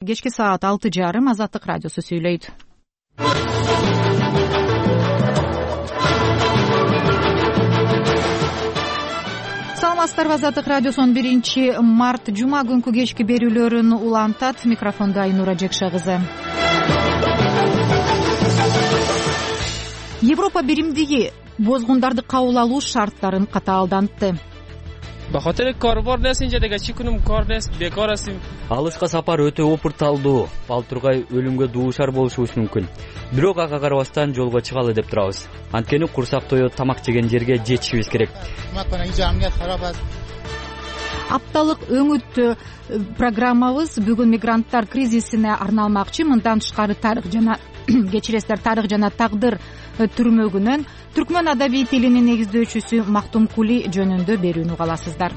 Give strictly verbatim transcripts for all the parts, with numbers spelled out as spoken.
Кечки саат алты жарым Азаттык радиосу сүйлөйт. Саламатсыздарбы, Азаттык радиосунун биринчи март жума күнкү кечки берүүлөрүн улантат. Микрофондо Айнура Жекша кызы. Европа биримдиги бозгундарды кабыл алуу шарттарын катаалдантты. Бахатер корбордесин жадага чикунум кордес бекорасым. Алышка сапар өтө опурталдуу. Ал тургай өлүмгө дуушар болушубуз мүмкүн. Бирок ага карабастан жолго чыгалы деп турабыз. Анткени курсак тоёт тамак жеген жерге жетишибиз керек. Апталык өңүт программабыз бүгүн мигранттар кризисине арналмакчы. Мындан тышкары тарых жана кечиресиздер тарых жана тагдыр түрмөгүнөн түркмөн адабий тилинин негиздөөчүсү Мактум Кули жөнүндө берүүнү уга аласыздар.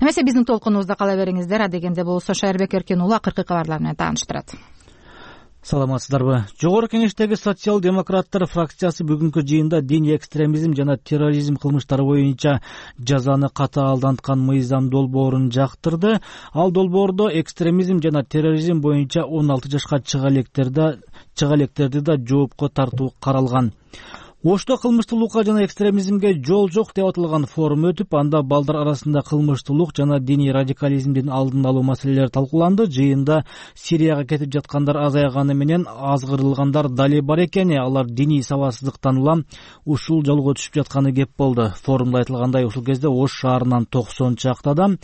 Эмесе биздин толкунубузда кала бериңиздер. Адегенде болсо Шайырбек Эркен уулу акыркы кабарлар менен тааныштырат. Саламатсыздарбы. Жогорку Кеңештеги социал-демократтар фракциясы бүгүнкү жыйында диний экстремизм жана терроризм кылмыштары боюнча жазаны катаалданткан мыйзам долбоорун жактырды. Ал долбоордо экстремизм жана терроризм боюнча он алты жашка чыга электерди чыга электерди да жоопко тартуу каралган. Ошто кылмыштуулукка жана экстремизмге жол жок деп аталган форум өтүп, анда балдар арасында кылмыштуулук жана диний радикализмдин алдын алуу маселелери талкууланды. Жыйында Сирияга кетип жаткандар азайганы менен азгырылгандар дали бар экени, алар диний сабатсыздыктан улам ушул жолго түшүп жатканы кеп болду. Форумда айтылгандай, ушул кезде Ош шаарынан токсон чакты адам,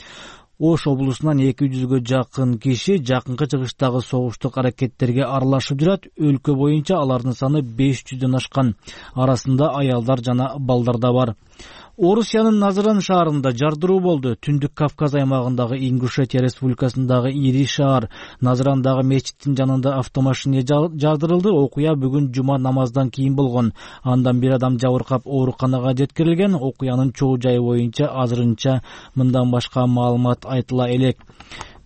Ош облусунан эки жүзгө жакын киши жакынкы чыгыштагы согуштук аракеттерге аралашып жүрөт. Өлкө боюнча алардын саны беш жүздөн ашкан. Арасында аялдар жана балдар да бар. Орусиянын Назаран шаарында жардыруу болду. Түндүк Кавказ аймагындагы Ингушетия республикасындагы ири шаар Назарандагы мечиттин жанында автомашина жардырылды. Окуя бүгүн жума намаздан кийин болгон. Андан бир адам жабыркап ооруканага жеткирилген. Окуянын чоо жайы боюнча азырынча мындан башка маалымат айтыла элек.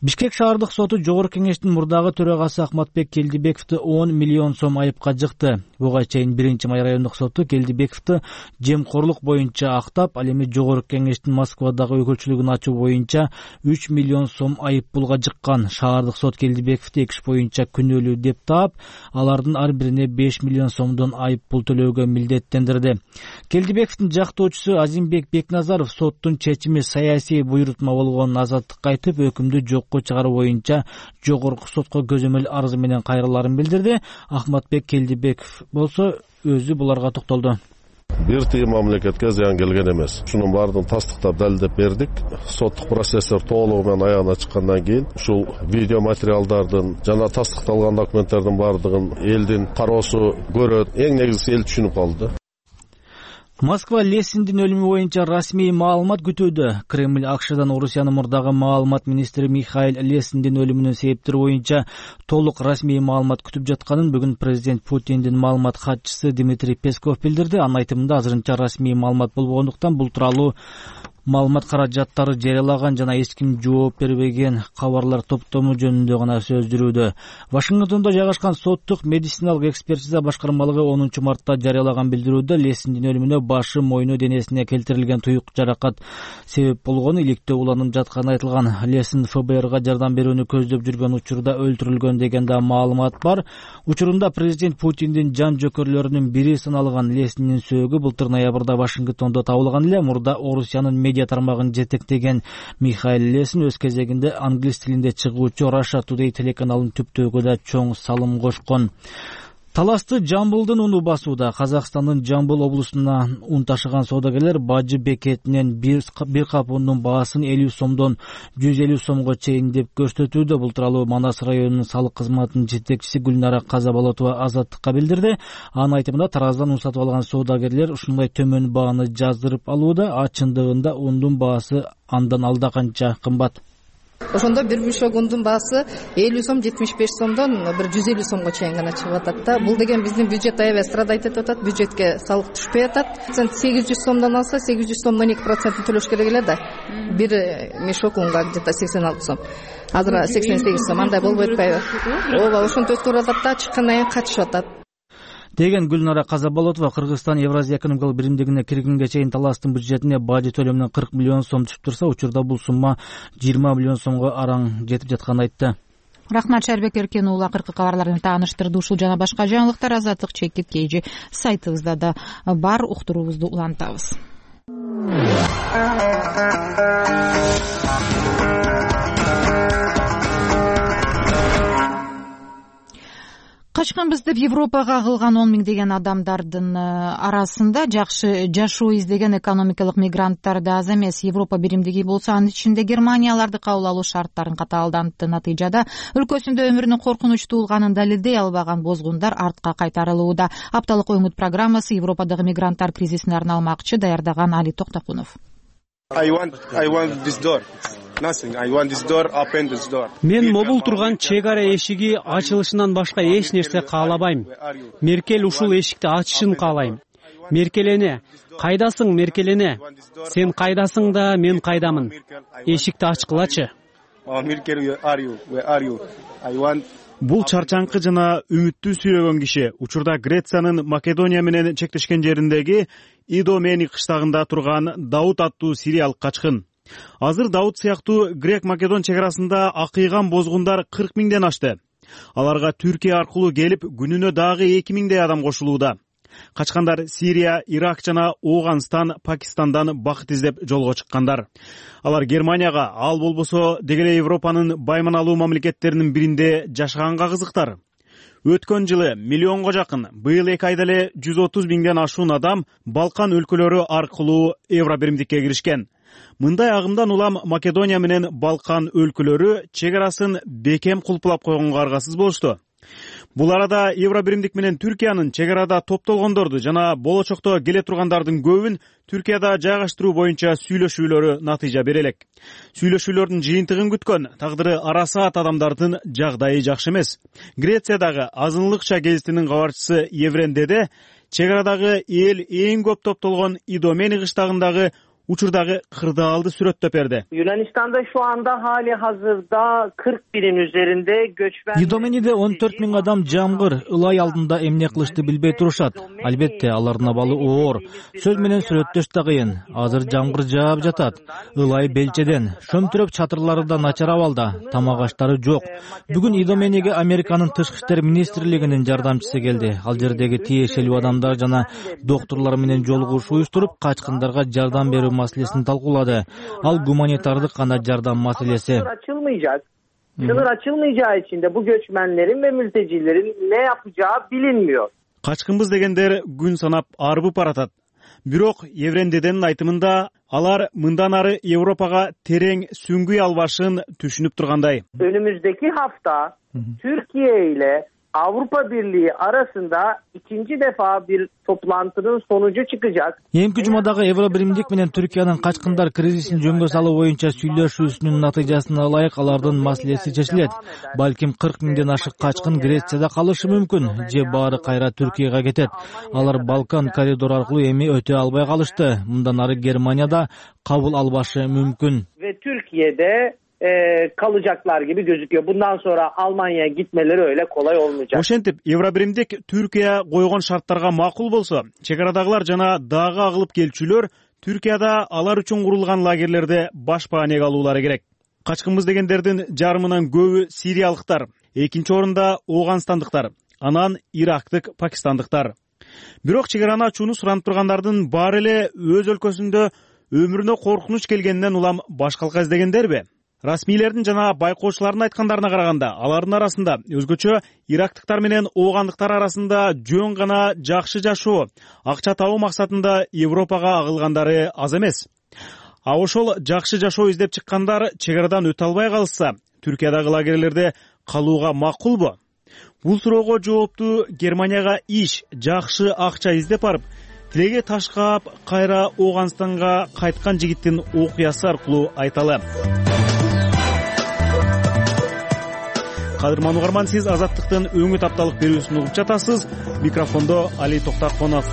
Бишкек шаардык соту Жогорку Кеңештин мурдагы төрагасы Ахматбек Келдибековду он миллион сом айыпка жыкты. Буга чейин биринчи май райондук соту Келдибековду жемкорлук боюнча актап, ал эми Жогорку Кеңештин Москвадагы өкүлчүлүгүн ачуу боюнча үч миллион сом айып пулга жыккан. Шаардык сот Келдибековду эки иш боюнча күнөөлүү деп таап, алардын ар бирине беш миллион сомдон айып пул төлөөгө милдеттендирди. Келдибековдун жактоочусу Азимбек Бекназаров соттун чечими саясий буйрутма болгонун азаттыкка айтып, өкүмдү жок чыгаруу боюнча жогорку сотко көзөмөл арызы менен кайрыларын билдирди. Ахматбек Келдибеков болсо өзү буларга токтолду. Бир тыйын мамлекетке зыян келген эмес. Ушунун баардыгын тастыктап далилдеп бердик. Соттук процесстер толугу менен аягына чыккандан кийин ушул видео материалдардын жана тастыкталган документтердин баардыгын элдин кароосу көрөт. Эң негизгиси эл түшүнүп калды. Москва Лесиндин өлүмү боюнча расмий маалымат күтүүдө. Кремль Акшдан Орусиянын мурдагы маалымат министри Михаил Лесиндин өлүмүнүн себептери боюнча толук расмий маалымат күтүп жатканын бүгүн президент Путиндин маалымат катчысы Дмитрий Песков билдирди. Анын айтымында азырынча расмий маалымат болбогондуктан бул тууралуу маалымат каражаттары жарыялаган жана эч ким жооп бербеген кабарлар топтому жөнүндө гана сөз жүрүүдө. Вашингтондо жайгашкан соттук медициналык экспертиза башкармалыгы онунчу мартта жарыялаган билдирүүдө Лесиндин өлүмүнө башы, мойну, денесине келтирилген туюк жаракат себеп болгону, иликтөө уланып жатканы айтылган. Лесин эф бэ эрга жардам берүүнү көздөп жүргөн учурда өлтүрүлгөн деген да маалымат бар. Учурунда президент Путиндин жан жөкөрлөрүнүн бири саналган Лесиндин сөөгү былтыр ноябрда Вашингтондо табылган эле. Мурда Орусиянын медиа тармагын жетектеген Михаил Лесин өз кезегинде англис тилинде чыгуучу Russia Today телеканалын түптөөгө да чоң салым кошкон. Таласты Жамбылдын уну басууда. Казакстандын Жамбыл облусуна ун ташыган соодагерлер Бажы бекетинен бир кап ундун баасын элүү сомдон жүз элүү сомго чейин деп көрсөтүүдө. Бул тууралуу Манас районунун салык кызматынын жетекчиси Гүлнара Казаболотова азаттыкка билдирди. Анын айтымында тараздан ун сатып алган соодагерлер ушундай төмөн бааны жаздырып алууда, а чындыгында ундун баасы андан алда канча кымбат. Ошондо бир бушок ундун баасы элүү сом, жетимиш беш сомдон бир жүз элүү сомго чейин гана чыгып атат да. Бул деген биздин бюджет аябай страдайт этип атат, бюджетке салык түшпөй атат. сегиз жүз сомдон алса, сегиз жүз сомдон эки процентин төлөш керек эле да. Бир мешок унга где-то сексен алты сом. Азыр сексен сегиз сом, андай болбой атпайбы? Ооба, ошентип өткөрүп атат да, чыккандан кийин качышып атат. деген Гүлнара Казаболотова Кыргызстан Евразия экономикалык биримдигине киргенге чейин таластын бюджетине бажы төлөмүнөн кырк миллион сом түшүп турса, учурда бул сумма жыйырма миллион сомго араң жетип жатканын айтты. Рахмат, Шарбек Эркен уулу. Акыркы кабарларды тааныштырды. Ушул жана башка жаңылыктар Азаттык чекит кейжи сайтыбызда да бар. Уктуруубузду улантабыз. Качканбыз деп Европага агылган он миңдеген адамдардын арасында жакшы жашоо издеген экономикалык мигранттар да аз эмес. Европа биримдиги болсо, анын ичинде Германия аларды кабыл алуу шарттарын катаалдантты. Натыйжада өлкөсүндө өмүрүнүн коркунучтуу болгонун далилдей албаган бозгундар артка кайтарылууда. Апталык оңут программасы Европадагы мигранттар кризисине арналмакчы, даярдаган Али Токтокунов. Мен могул турган чек ара эшиги ачылышынан башка эч нерсе каалабайм. Меркель ушул эшикти ачышын каалайм. Меркелене, кайдасың Меркелене? Сен кайдасың да, мен кайдамын? Эшикти ачкылачы. Бул чарчаңкы жана үмүттүү сүйлөгөн киши учурда Грециянын Македония менен чектешкен жериндеги Идомени кыштагында турган Дауд аттуу сириялык качкын. Азыр Дауд сыяктуу грек-македон чек арасында акыйган бозгундар кырк миңден ашты. Аларга Түркия аркылуу келип, күнүнө дагы эки миңдей адам кошулууда. Качкандар Сирия, Ирак жана Ооганстан, Пакистандан бакыт издеп жолго чыккандар. Алар Германияга, ал болбосо деги эле Европанын байманалуу мамлекеттеринин биринде жашаганга кызыктар. Өткөн жылы миллионго жакын, быйыл эки айда эле жүз отуз миңден ашуун адам Балкан өлкөлөрү аркылуу Евро биримдикке киришкен. Мындай агымдан улам Македония менен Балкан өлкөлөрү чек арасын бекем кулпулап койгонго аргасыз болушту. Бул арада Евро биримдик менен Түркиянын чек арада топтолгондорду жана болочокто келе тургандардын көбүн Түркияда жайгаштыруу боюнча сүйлөшүүлөрү натыйжа бере элек. Сүйлөшүүлөрдүн жыйынтыгын күткөн, тагдыры арасаат адамдардын жагдайы жакшы эмес. Грециядагы азынлыкча гезитинин кабарчысы Евренdeде чек арадагы эл эң көп топтолгон Идомени кыштагындагы учурдагы кырдаалды сүрөттөп берди. Yunanistan'da şu anda hali hazırda kırk binin üzerinde göçmen... Идомениде он төрт миң адам жамгыр, ылай алдында эмне кылышты билбей турушат. Албетте, алардын абалы оор. Сөз менен сүрөттөш да кыйын. Азыр жамгыр жаап жатат. Ылай белчеден, шөмтүрөп чатырлары да начар абалда, тамак аштары жок. Бүгүн Идомениге Американын тышкы иштер министрлигинин жардамчысы келди. Ал жердеги тиешелүү адамдар жана докторлор менен жолугушуу уюштуруп, качкындарга жардам берүү маселесini talkuladı. Al gumanitardık kana yardım maselesi. Sınır açılmayacak. Sınır açılmayacağı için de bu göçmenlerin ve mültecilerin ne yapacağı bilinmiyor. Kaçkınbız degenler gün sanap arıbıp baratат. Бирок Еврендеден айтымында алар мындан ары Европага терең сүңгүй албашын түшүнүп тургандай. Önümüzdeki hafta Türkiye ile Avrupa Birliği arasında ikinci defa bir toplantının sonucu çıkacak. Эмки жумадагы Евро биримдик менен Түркиянын качкындар кризисин жөнгө салуу боюнча сүйлөшүүсүнүн натыйжасына ылайык алардын маселеси чечилет. Балким кырк миңден ашык качкын Грецияда калышы мүмкүн, же баары кайра Түркияга кетет. Алар Балкан коридору аркылуу эми өтө албай калышты. Мындан ары Германияда кабыл албашы мүмкүн. Ve Türkiye'de E, kalacaklar gibi gözüküyor. Bundan sonra Almanya'ya gitmeleri öyle kolay olmayacak. Ошентип, Евробиримдик Түркия койгон шарттарга макул болсо, чек арадагылар жана дагы агылып келчүлөр Түркияда алар үчүн курулган лагерлерде баш баанеге алуулары керек. Качкынбыз дегендердин жарымынан көбү сириялыктар, экинчи орунда Ооганстандыктар, анан Ирактык, Пакистандыктар. Бирок чек араны ачууну суранып тургандардын баары эле өз өлкөсүндө өмүрүнө коркунуч келгенден улам башкалка издегендерби? Расмийлердин жана байкоочулардын айткандарына караганда, алардын арасында өзгөчө ирактыктар менен оогандыктар арасында жөн гана жакшы жашоо, акча табуу максатында Европага агылгандары аз эмес. А ошол жакшы жашоо издеп чыккандар чек арадан өтө албай калышса, Түркиядагы лагерлерде калууга макулбу? Бул суроого жоопту Германияга иш, жакшы акча издеп барып, тилеге таш каап, кайра Ооганстанга кайткан жигиттин окуясы аркылуу айталы. Кадырман угарман, сиз Азаттыктын өңүт апталык берүүсүн угуп жатасыз. Микрофондо Али Токтокунов.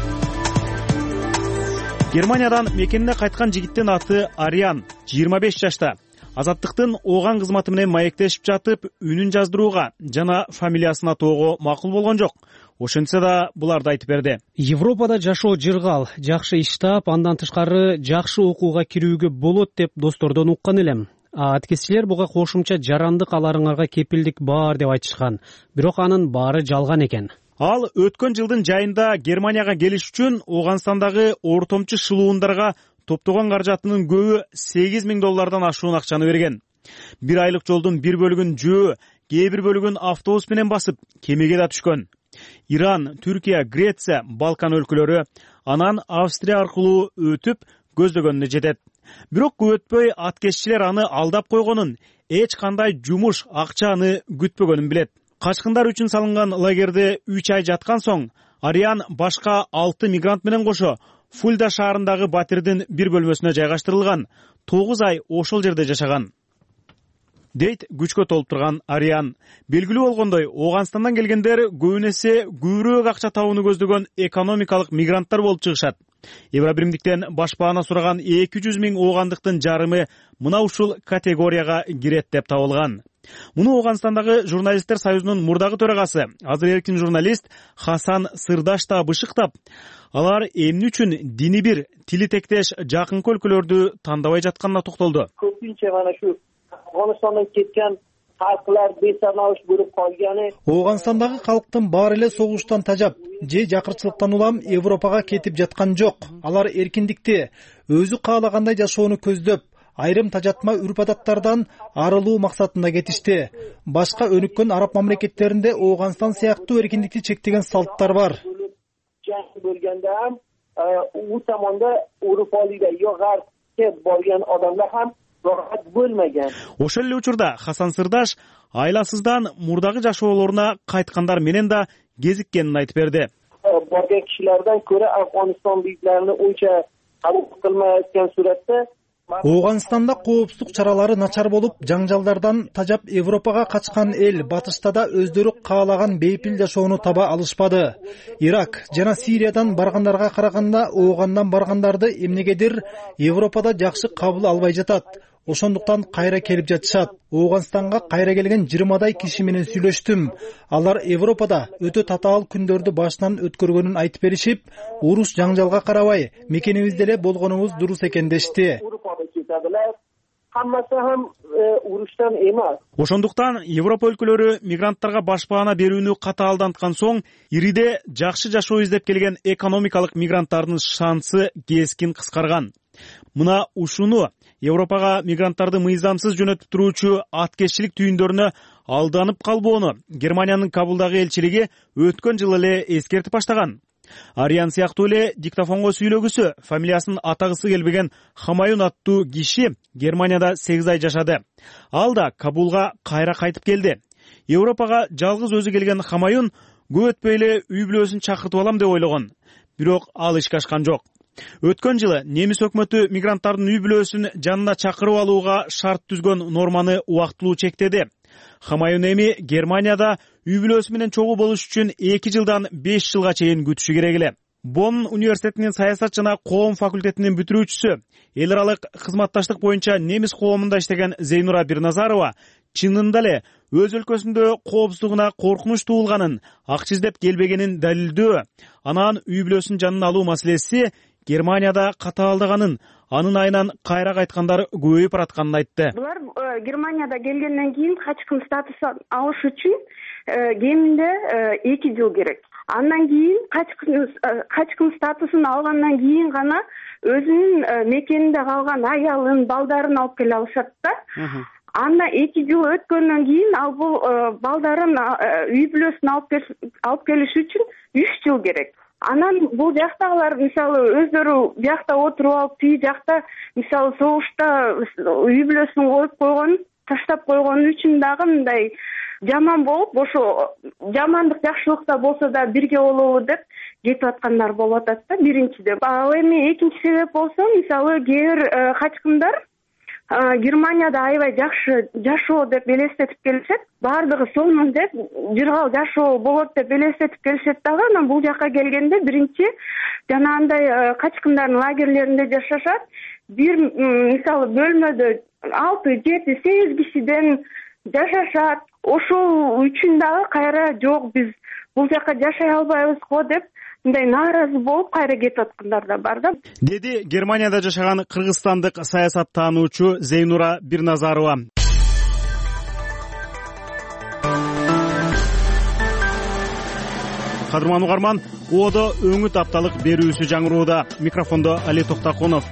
Германиядан мекенине кайткан жигиттин аты Ариан, жыйырма беш жашта. Азаттыктын ооган кызматы менен маектешип жатып, үнүн жаздырууга жана фамилиясын атоого макул болгон жок. Ошентсе да буларды айтып берди. Европада жашоо жыргал, жакшы иш таап, андан тышкары жакшы окууга кирүүгө болот деп достордон уккан элем. Аткезчилер буга кошумча жарандык аларыңарга кепилдик бар деп айтышкан. Бирок анын баары жалган экен. Ал өткөн жылдын жайында Германияга келиш үчүн Ооганстандагы ортомчу шылуундарга топтогон каражатынын көбү сегиз миң доллардан ашуун акчаны берген. Бир айлык жолдун бир бөлүгүн жөө, кээ бир бөлүгүн автобус менен басып, кемеге да түшкөн. Иран, Түркия, Греция, Балкан өлкөлөрү, анан Австрия аркылуу өтүп көздөгөнүнө жетет. Бирок көп өтпөй аткезчилер аны алдап койгонун, эч кандай жумуш, акчаны күтпөгөнүн билет. Качкындар үчүн салынган лагерде үч ай жаткан соң, Ариан башка алты мигрант менен кошо Фульда шаарындагы батирдин бир бөлмөсүнө жайгаштырылган. тогуз ай ошол жерде жашаган. Дейт күчкө толуп турган Ариан. Белгилүү болгондой, Ооганстандан келгендер көбүн эсе көбүрөөк акча табууну көздөгөн экономикалык мигранттар болуп чыгышат. Евробиримдиктен башпаана сураган эки жүз миң оогандыктын жарымы мына ушул категорияга кирет деп табылган. Муну Ооганстандагы журналисттер союзунун мурдагы төрагасы, азыр эркин журналист Хасан Сырдаш да бышыктап, алар эмне үчүн дини бир, тили тектеш жакынкы өлкөлөрдү тандабай жатканына токтолду. Көпүнчө мана шу Афганистандан кеткен халыклар бесаналыш болуп калганы. Ооганстандагы калктын баары эле согуштан тажап, же жакырчылыктан улам Европага кетип жаткан жок. Алар эркиндикти, өзү каалагандай жашоону көздөп, айрым тажатма үрп-адаттардан арылуу максатында кетишти. Башка өнүккөн араб мамлекеттеринде Ооганстан сыяктуу эркиндикти чектеген салттар бар. Жаң бөлгөндө ham у тамонда Европалыйда жогар кеп болгон адамдар ham рахат болмаган. Ошол эле учурда Хасан Сырдаш айласыздан мурдагы жашоолоруна кайткандар менен да кезиккенин айтып берди. Барган кишилерден көрө Афганистан бийлерини унча кабыл кылмайоткан суратта Ооганстанда коопсуздук чаралары начар болуп, жаңжалдардан тажап Европага качкан эл батышта да өздөрү каалаган бейпил жашоону таба алышпады. Ирак жана Сириядан баргандарга караганда Оогандан баргандарды эмнегедир Европада жакшы кабыл албай жатат. Ошондуктан кайра келип жатышат. Ооганстанга кайра келген жыйырмадай киши менен сүйлөштүм. Алар Европада өтө татаал күндөрдү башынан өткөргөнүн айтып беришип, уруш жаңжалга карабай, мекенибизде эле болгонубуз дурус экен дешти. Хаммасы ham уруштан эмес. Ошондуктан Европа өлкөлөрү мигранттарга башпаана берүүнү катаалданткан соң, ириде жакшы жашоо издеп келген экономикалык мигранттардын шансы кескин кыскарган. Мына ушуну Европага мигранттарды мыйзамсыз жөнөтүп туруучу аткезчилик түйүндөрүнө алданып калбоону Германиянын Кабулдагы элчилиги өткөн жылы эле эскертип баштаган. Ариан сыяктуу эле диктофонго сүйлөгүсү, фамилиясын атагысы келбеген Хамаюн аттуу киши Германияда сегиз ай жашады. Ал да Кабулга кайра кайтып келди. Европага жалгыз өзү келген Хамаюн көп өтпөй эле үй бүлөсүн чакыртып алам деп ойлогон. Бирок ал ишке ашкан жок. Өткөн жылы немис өкмөтү мигранттардын үй бүлөсүн жанына чакырып алууга шарт түзгөн норманы убактылуу чектеди. Хамаюн эми Германияда үй бүлөсү менен чогуу болуш үчүн эки жылдан беш жылга чейин күтүшү керек эле. Бонн университетинин саясат жана коом факультетинин бүтүрүүчүсү, эл аралык кызматташтык боюнча немис коомунда иштеген Зейнура Бирназарова чынында эле өз өлкөсүндө коопсуздугуна коркунуч туулганын, акча издеп келбегенин далилдөө, анан үй бүлөсүн жанына алуу маселеси Германияда катаалдаганын, анын айынан кайра кайткандар көбөйүп баратканын айтты. Булар Германияда келгенден кийин качкын статусун алыш үчүн кеминде эки жыл керек. Андан кийин качкын качкын статусун алгандан кийин гана өзүнүн мекенинде калган аялын, балдарын алып келе алышат да. Анда эки жыл өткөндөн кийин ал бул балдарын, үй бүлөсүн алып келиш үчүн үч жыл керек. Анан бул жактагылар мисалы өздөрү биякта отуруп алып, тиги жакта мисалы согушта үй бүлөсүн коюп койгон, таштап койгон үчүн дагы мындай жаман болуп, ошо жамандык жакшылыкта болсо да бирге болобу деп кетип аткандар болуп атат да, биринчиден. Ал эми экинчи себеп болсо, мисалы кээ бир качкындар Германияда аябай жакшы жашоо деп элестетип келишет. Бардыгы сонун деп, жыргал жашоо болот деп элестетип келишет дагы. Анан бул жакка келгенде биринчи жанагындай качкындардын лагерлеринде жашашат. Бир мисалы бөлмөдө алты, жети, сегиз кишиден жашашат. Ошол үчүн дагы кайра жок, биз бул жака жашай албайбыз го деп мындай нааразы болуп кайра кетип аткандар да бар да, деди Германияда жашаган кыргызстандык саясаттануучу Зейнура Бирназарова. Кадырман угарман, Одо өңүт апталык берүүсү жаңырууда. Микрофондо Али Токтакунов.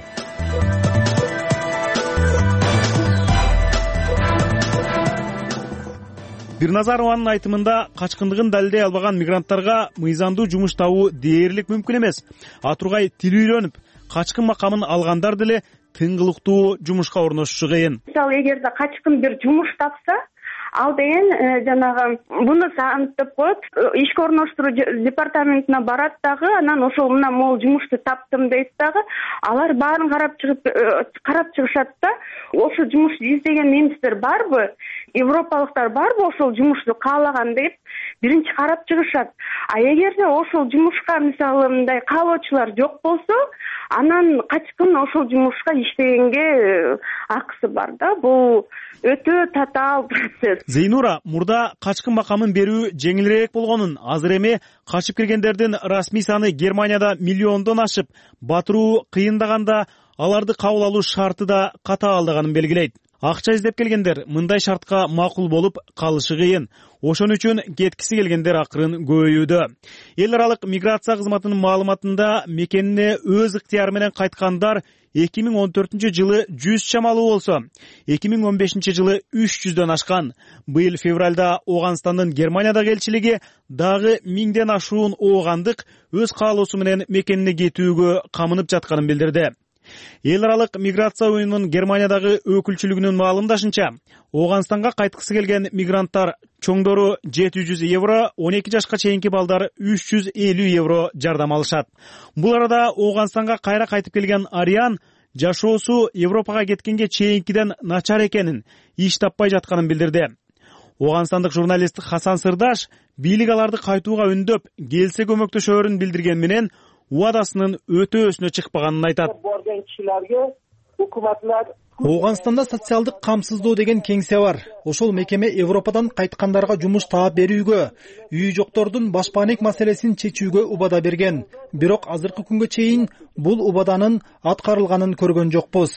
Бирназарованын айтымында качкындыгын далилдей албаган мигранттарга мыйзамдуу жумуш табуу дээрлик мүмкүн эмес. А тургай тил үйрөнүп, качкын макамын алгандар деле тыңгылыктуу жумушка орношушу кыйын. Мисалы, эгерде качкын бир жумуш тапса, ал деген жанагы буну саамттап коет, ишке орноштуруу департаментине барат дагы, анан ошол мына могул жумушту таптым дейт дагы, алар баарын карап чыгып карап чыгышат да, ошол жумушту издеген немистер барбы, европалыктар барбы ошол жумушту каалаган деп биринчи карап чыгышат. А эгерде ошол жумушка мисалы мындай каалоочулар жок болсо, анан качкын ошол жумушка иштегенге акысы бар да. Бул өтө татаал процесс. Зейнура мурда качкын макамын берүү жеңилирээк болгонун, азыр эми качып киргендердин расмий саны Германияда миллиондон ашып, батыруу кыйындаганда аларды кабыл алуу шарты да катаалдаганын белгилейт. Акча издеп келгендер мындай шартка макул болуп калышы кыйын. Ошон үчүн кеткиси келгендер акырын көбөйүүдө. Эл аралык миграция кызматынын маалыматында мекенине өз ыктыяры менен кайткандар эки миң он төртүнчү жылы жүз чамалуу болсо, эки миң он бешинчи жылы үч жүздөн ашкан. Быйыл февралда Ооганстандын Германиядагы элчилиги дагы миңден ашуун оогандык өз каалоосу менен мекенине кетүүгө камынып жатканын билдирди. Эл аралык миграция уюмунун Германиядагы өкүлчүлүгүнүн маалымдашынча, Ооганстанга кайткысы келген мигранттар чоңдору жети жүз евро, он эки жашка чейинки балдар үч жүз элүү евро жардам алышат. Бул арада Ооганстанга кайра кайтып келген Ариан жашоосу Европага кеткенге чейинкиден начар экенин, иш таппай жатканын билдирди. Ооганстандык журналист Хасан Сырдаш бийлик аларды кайтууга үндөп, келсе көмөктөшөрүн билдирген менен убадасынын өтөөсүнө чыкпаганын айтат. Ооганстанда социалдык камсыздоо деген кеңсе бар. Ошол мекеме Европадан кайткандарга жумуш таап берүүгө, үй жоктордун башпаанек маселесин чечүүгө убада берген. Бирок азыркы күнгө чейин бул убаданын аткарылганын көргөн жокпуз.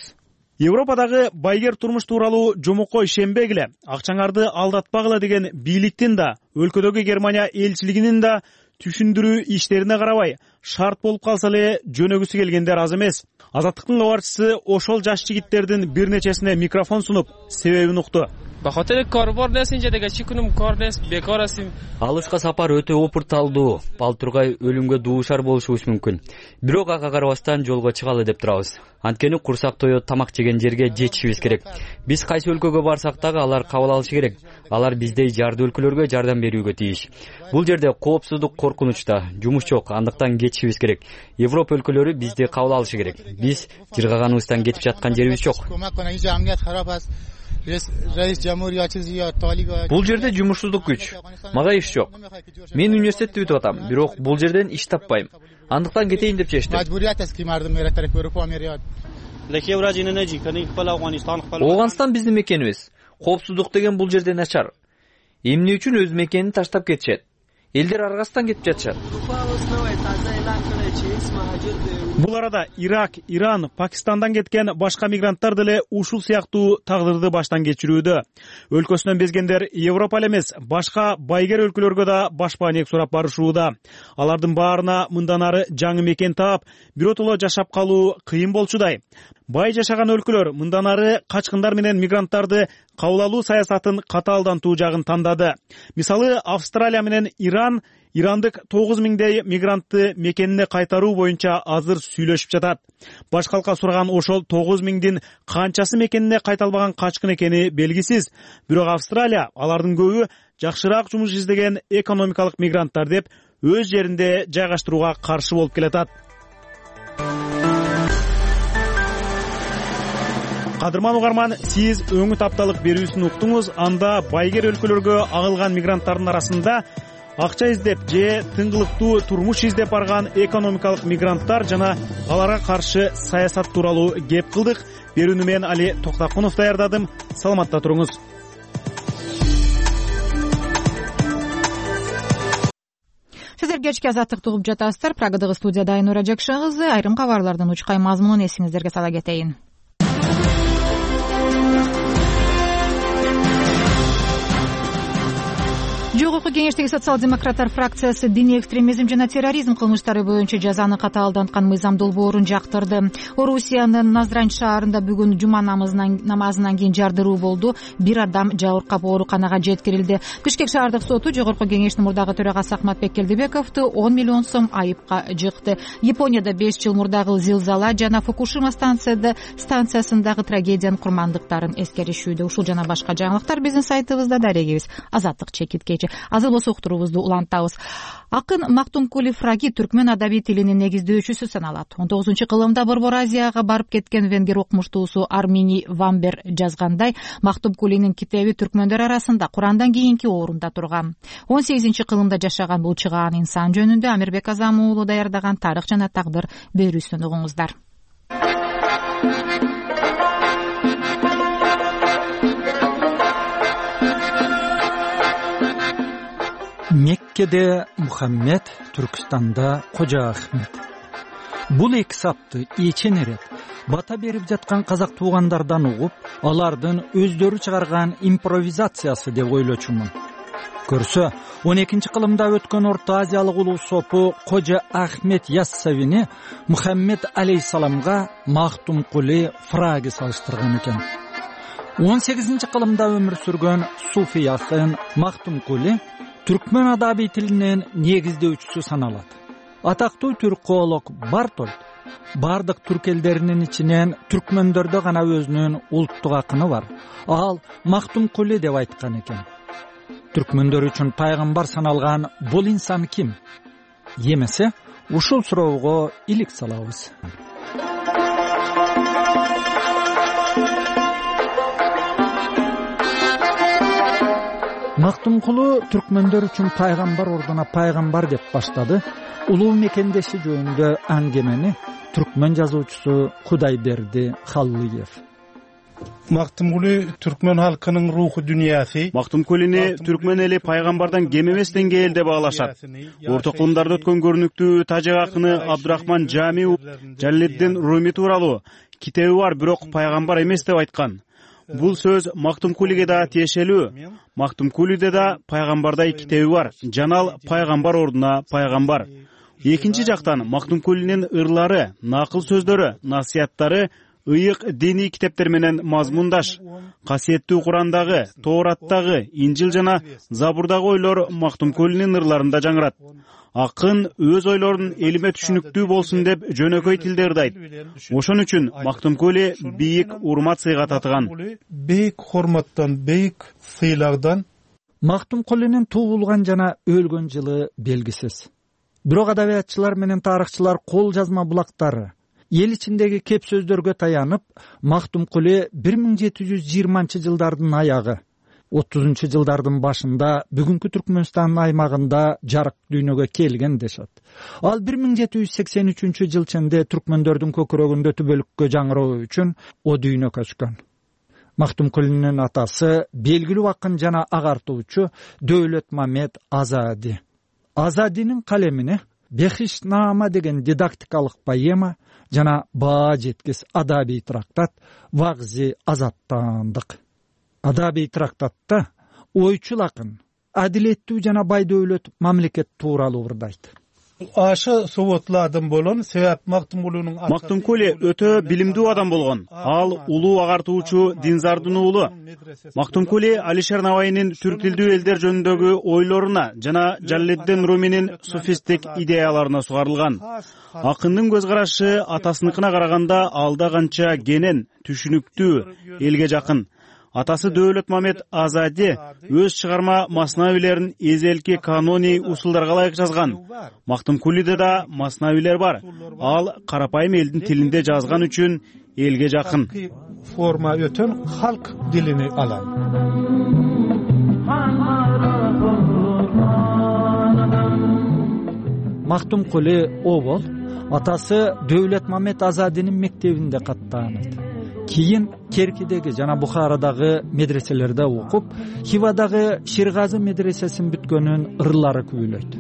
Европадагы байгер турмуш тууралуу жомокой ишенбегиле, акчаңарды алдатпагыла деген бийликтин да, өлкөдөгү Германия элчилигинин да түшүндүрүү иштерине карабай, шарт болуп калса эле жөнөгүсү келгендер аз эмес. Азаттыктын кабарчысы ошол жаш жигиттердин бир нечесине микрофон сунуп, себебин укту. По хотели кор бар несинче деге чикунум корнес бекорасым. Алышка сапар өтө опурталдуу, балтургай өлүмгө дуушар болушубуз мүмкүн. Бирок ага карабастан жолго чыгалы деп турабыз. Анткени курсак тоё тамак жеген жерге жетишибиз керек. Биз кайсы өлкөгө барсак дагы алар кабыл алышы керек. Алар биздей жарды өлкөлөргө жардам берүүгө тийиш. Бул жерде коопсуздук коркунучта, жумуш жок, андыктан кетишибиз керек. Европа өлкөлөрү бизди кабыл алышы керек. Биз жыргаганыбыздан кетип жаткан жерибиз жок. Бул жерде жумушсуздук күч. Мага иш жок. Мен университетти бүтүп атам, бирок бул жерден иш таппайм. Андыктан кетейин деп чечтим. Ооганстан биздин мекенибиз. Коопсуздук деген бул жерде начар. Эмне үчүн өз мекенин таштап кетишет? Элдер аргасынан кетип жатышат. Бул арада Ирак, Иран, Пакистандан кеткен башка мигранттар деле ушул сыяктуу тагдырды баштан кечирүүдө. Өлкөсүнөн безгендер Европа эле эмес, башка байгер өлкөлөргө да башпаанек сурап барышууда. Алардын баарына мындан ары жаңы мекен таап, биротоло жашап калуу кыйын болчудай. Бай жашаган өлкөлөр мындан ары качкындар менен мигранттарды кабыл алуу саясатын катаалдантуу жагын тандады. Мисалы, Австралия менен Иран Ирандык тогуз миңдей мигрантты мекенине кайтаруу боюнча азыр сүйлөшүп жатат. Баш калка сураган ошол тогуз миңдин канчасы мекенине кайта албаган качкын экени белгисиз. Бирок Австралия алардын көбү жакшыраак жумуш издеген экономикалык мигранттар деп өз жеринде жайгаштырууга каршы болуп келатат. Кадырман угарман, сиз өңүт апталык берүүсүн уктуңуз. Анда байгер өлкөлөргө агылган мигранттардын арасында акча издеп же тыңгылыктуу турмуш издеп барган экономикалык мигранттар жана аларга каршы саясат тууралуу кеп кылдык. Берүүнү мен Али Токтакунов даярдадым. Саламатта туруңуз. кечки азаттыкты угуп жатасыздар. Прагадагы студияда Айнура Жакшан кызы. Айрым кабарлардын учкай мазмунун эсиңиздерге сала кетейин. Жогорку кеңештеги социал-демократтар фракциясы диний экстремизм жана терроризм кылмыштары боюнча жазаны катаалданткан мыйзам долбоорун жактырды. Орусиянын Назрань шаарында бүгүн жума намазынан кийин жардыруу болду. Бир адам жабыркап ооруканага жеткирилди. Бишкек шаардык соту жогорку кеңештин мурдагы төрагасы Ахматбек Келдибековду он миллион сом айыпка жыкты. Японияда беш жыл мурдагы зилзала жана Фукушима станцияда станциясындагы трагедиянын курмандыктарын эскеришүүдө. Ушул жана башка жаңылыктар биздин сайтыбызда, дарегибиз азаттык чекиткечи. Азыр болсо уктуруубузду улантабыз. Акын Мактумкули Фраги түркмөн адабий тилинин негиздөөчүсү саналат. он тогузунчу кылымда Борбор Азияга барып кеткен венгер окумуштуусу Армини Вамбер жазгандай, Мактумкулинин китеби түркмөндөр арасында Курандан кийинки орунда турган. он сегизинчи кылымда жашаган бул чыгаан инсан жөнүндө Амирбек Азам уулу даярдаган Тарых жана тагдыр берүүсүн угуңуздар. Меккеде Мухаммед, Түркістанда Кожа Ахмет. Бул эки сапты эчен эрет бата берип жаткан казак туугандардан угуп, алардын өздөрү чыгарган импровизациясы деп ойлочумун. Көрсө, он экинчи кылымда өткөн Орто Азиялык улуу сопу Кожа Ахмет Яссавини Мухаммед алейхисаламга Мактумкули Фраги салыштырган экен. он сегизинчи кылымда өмүр сүргөн суфий акын Мактумкули түркмөн адабий тилинин негиздөөчүсү саналат. Атактуу түрколог Бартольд бардык түрк элдеринин ичинен түркмөндөрдө гана өзүнүн улуттук акыны бар. Ал Мактумкули деп айткан экен. Түркмөндөр үчүн пайгамбар саналган бул инсан ким? Эмесе, ушул суроого илик салабыз. Мактумкулу түркмөндөр үчүн пайгамбар ордуна пайгамбар деп баштады. Улуу мекендеши жөнүндө аңгемени түркмөн жазуучусу Кудайберди Халлыев. Мактумкули түркмөн халкынын руху дүниясы. Мактумкулини түркмөн эли пайгамбардан кем эмес деңгээлде баалашат. Орто кылымдарда өткөн көрүнүктүү тажик акыны Абдурахман Жамиу Жаллиддин Руми тууралуу китеби бар, бирок пайгамбар эмес деп айткан. Бул сөз Мактумкулиге да тиешелүү. Мактумкулиде да пайгамбардай китеби бар. Жанал пайгамбар ордуна пайгамбар. Экинчи жактан Мактумкулинин ырлары, накыл сөздөрү, насыяттары ыйык диний китептер менен мазмундаш. Касиеттүү Курандагы, Тоораттагы, Инжил жана Забурдагы ойлор Мактумкулинин ырларында жаңырат. Акын өз ойлорун элиме түшүнүктүү болсун деп жөнөкөй тилде ырдайт. Ошон үчүн Мактумкули бийик урмат сыйга татыган. Бейик хурматтан, бейик сыйлардан. Мактумкулинин туулган жана өлгөн жылы белгисиз. Бирок адабиятчылар менен тарыхчылар кол жазма булактары эл ичиндеги кеп сөздөргө таянып, Мактумкули бир миң жети жүз жыйырманчы жылдардын аягы, отузунчу жылдардын башында бүгүнкү Түркмөнстан аймагында жарык дүйнөгө келген дешет. Ал бир миң жети жүз сексен үчүнчү жыл ченде түркмөндөрдүн көкүрөгүндө түбөлүккө жаңыроо үчүн о дүйнө көчкөн. Мактумкулинин атасы белгилүү акын жана агартуучу Дөөлөтмамет Азади. Азадинин калемине Бехишнама деген дидактикалык поэма жана баа жеткис адабий трактат Вагзи азаттандык. Адабий трактатта ойчул акын адилеттүү жана бай дөөлөт мамлекет тууралуу ырдайт. Ашы суботлуу адам болгон, себеп Мактумкулинин Мактумкули өтө билимдүү адам болгон. Ал улуу агартуучу Динзардын уулу. Мактумкули Алишер Навайнин түрк тилдүү элдер жөнүндөгү ойлоруна жана Жаллиддин Руминин суфисттик идеяларына сугарылган. Акындын көз карашы атасыныкына караганда алда канча кенен, түшүнүктүү, элге жакын. Атасы Дөөлөтмамет Азади өз чыгарма маснавилерин эзелки каноний усулдарга ылайык жазган. Мактумкулиде да маснавилер бар. Ал карапайым элдин тилинде жазган үчүн элге жакын. Форма өтөн халк дилини алам. Мактумкули обол атасы Дөөлөтмамет Азадинин мектебинде каттаанат. Кийин Керкидеги жана Бухарадагы медреселерде окуп, Хивадагы Ширгазы медресесин бүткөнүн ырлары күбөлөйт.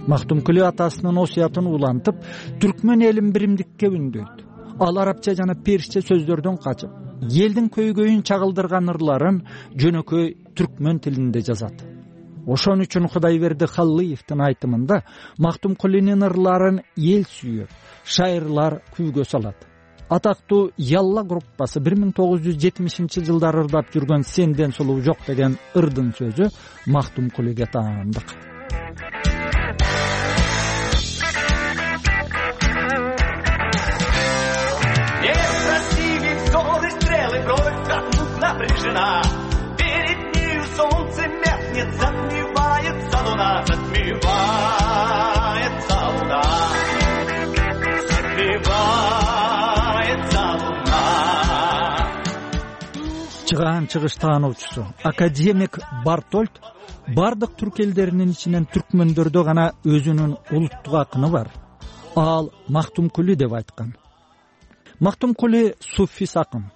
Мактумкули атасынын осуятын улантып, түркмөн элин биримдикке үндөйт. Ал арабча жана персче сөздөрдөн качып, элдин көйгөйүн чагылдырган ырларын жөнөкөй түркмөн тилинде жазат. Ошон үчүн Кудайберди Халлыевдин айтымында Мактумкулинин ырларын эл сүйөт, шайырлар күйгө салат. Атактуу Ялла группасы бир миң тогуз жүз жетимишинчи жылдары ырдап жүргөн Сенден сулуу жок деген ырдын сөзү Мактумкулиге таандык. Перед нею солнце меркнет, затмевается луна, затмевается луна, затмевается луна. Чыгаан чыгыш таануучусу академик Бартольд бардык түрк элдеринин ичинен түркмөндөрдө гана өзүнүн улуттук акыны бар. Ал Мактумкули деп айткан. Мактумкули суффис акын.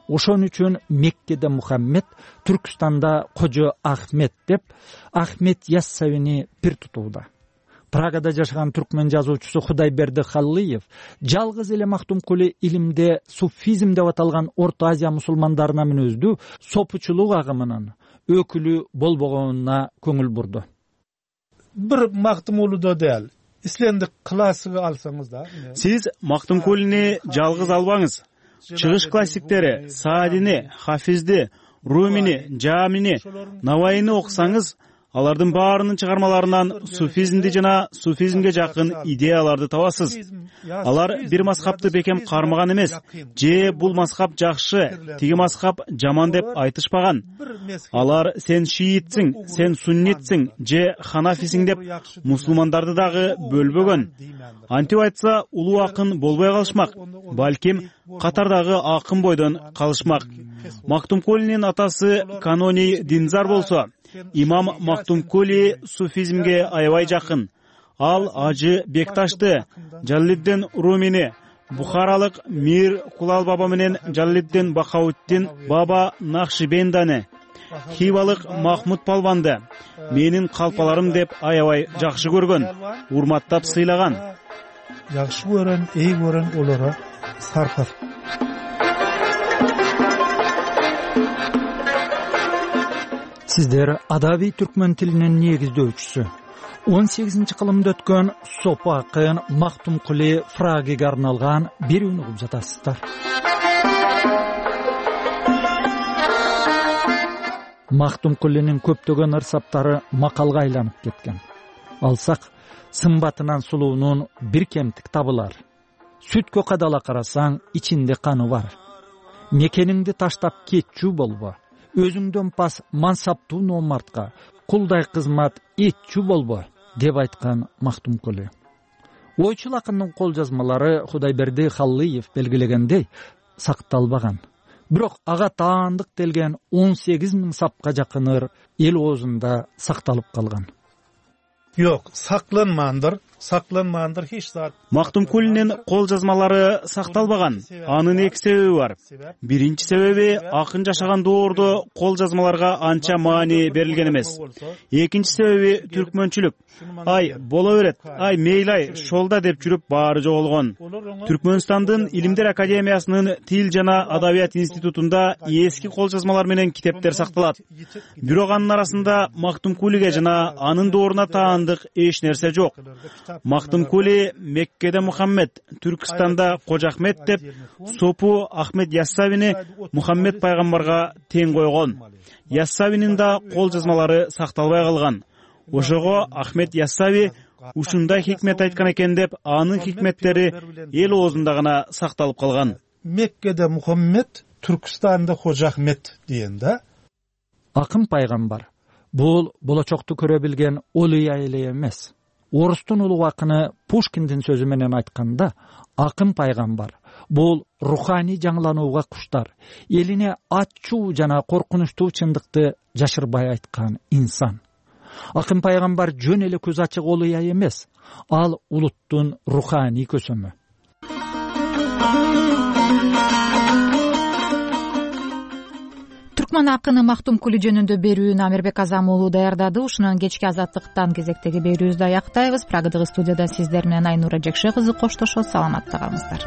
Ошон үчүн Меккеде Мухаммед, Түркстанда Кожо Ахмет деп Ахмет Яссавини пир тутууда. Прагада жашаган түркмөн жазуучусу Кудайберди Халлыев жалгыз эле Мактумкули илимде суфизм деп аталган Орто Азия мусулмандарына мүнөздүү сопучулук агымынын өкүлү болбогонуна көңүл бурду. Бир Мактумкулидо дел, ислендик классыгы алсаңыз да. Сиз Мактумкулини жалгыз албаңыз. Чыгыш классиктери Саадини, Хафизди, Румини, Жамини, Навайини окусаңыз, алардын баарынын чыгармаларынан суфизмди жана суфизмге жакын идеяларды табасыз. Алар бир мазхабты бекем кармаган эмес, же бул мазхаб жакшы, тиги мазхаб жаман деп айтышпаган. Алар сен шиитсиң, сен суннитсиң, же ханафисиң деп мусулмандарды дагы бөлбөгөн. Антип айтса, улуу акын болбой калышмак, балким катардагы акын бойдон калышмак. Мактумкулинин атасы Канони Динзар болсо, имам Мактумкули суфизмге аябай жакын. Ал Ажы Бекташты, Жаллиддин Румини, Бухаралык Мир Кулал баба менен Жаллиддин Бахауттин баба Нахшибендани, Хивалык Махмуд Палванды менин калпаларым деп аябай жакшы көргөн, урматтап сыйлаган. Жакшы көрөн, эй көрөн олора саркар. Сиздер адабий түркмөн тилинин негиздөөчүсү он сегизинчи кылымда өткөн сопу акын Мактумкули фрагиге арналган берүүнү угуп жатасыздар. Мактумкулинин көптөгөн ырсаптары макалга айланып кеткен. Алсак, сымбатынан сулуунун бир кемтик табылар. Сүткө кадала карасаң, ичинде каны бар. Мекениңди таштап кетчү болбо. Өзүңдөн пас мансаптуу номартка, кулдай кызмат этчү болбо, деп айткан Мактумкули. Ойчул акындын кол жазмалары Кудайберди Халлыев белгилегендей сакталбаган. Бирок ага таандык делген он сегиз миң сапка жакын ыр эл оозунда сакталып калган. Yok, saklanmandır, saklanmandır hiç zat. Мактумкулинин кол жазмалары сакталбаган. Анын эки себеби бар. Биринчи себеби акын жашаган доордо кол жазмаларга анча маани берилген эмес. Экинчи себеби түркмөнчүлүк. Ай, боло берет. Ай, мейлай, шолда деп жүрүп баары жоголгон. Түркмөнстандын Илимдер академиясынын Тил жана Адабият институтунда эски кол жазмалар менен китептер сакталат. Бирок анын арасында Мактумкулиге жана анын дооруна таандык эч нерсе жок. Мактумкули Меккеде Мухаммед, Түркстанда Кожо Ахмет деп сопу Ахмед Яссавини Мухаммед пайгамбарга тең койгон. Яссавинин да кол жазмалары сакталбай калган. Ошого Ахмед Яссави ушундай хикмет айткан экен деп, анын хикметтери эл оозунда гана сакталып калган. Меккеде Мухаммед, Түркстанда Кожо Ахмет деген да. Акын пайгамбар бул болочокту көрө билген олуя эле эмес. Орустун улуу акыны Пушкиндин сөзү менен айтканда, акын пайгамбар бул руханий жаңыланууга куштар, элине ачуу жана коркунучтуу чындыкты жашырбай айткан инсан. Акын пайгамбар жөн эле көз ачык олуя эмес, ал улуттун руханий көсөмү. кутман акыны Мактумкулу жөнүндө берүүнү Амирбек Азам уулу даярдады. Ушунан кечки Азаттыктан кезектеги берүүбүздү аяктайбыз. Прогдагы студияда сиздер менен Айнура Жекше кызы коштошот. Саламатта калыңыздар.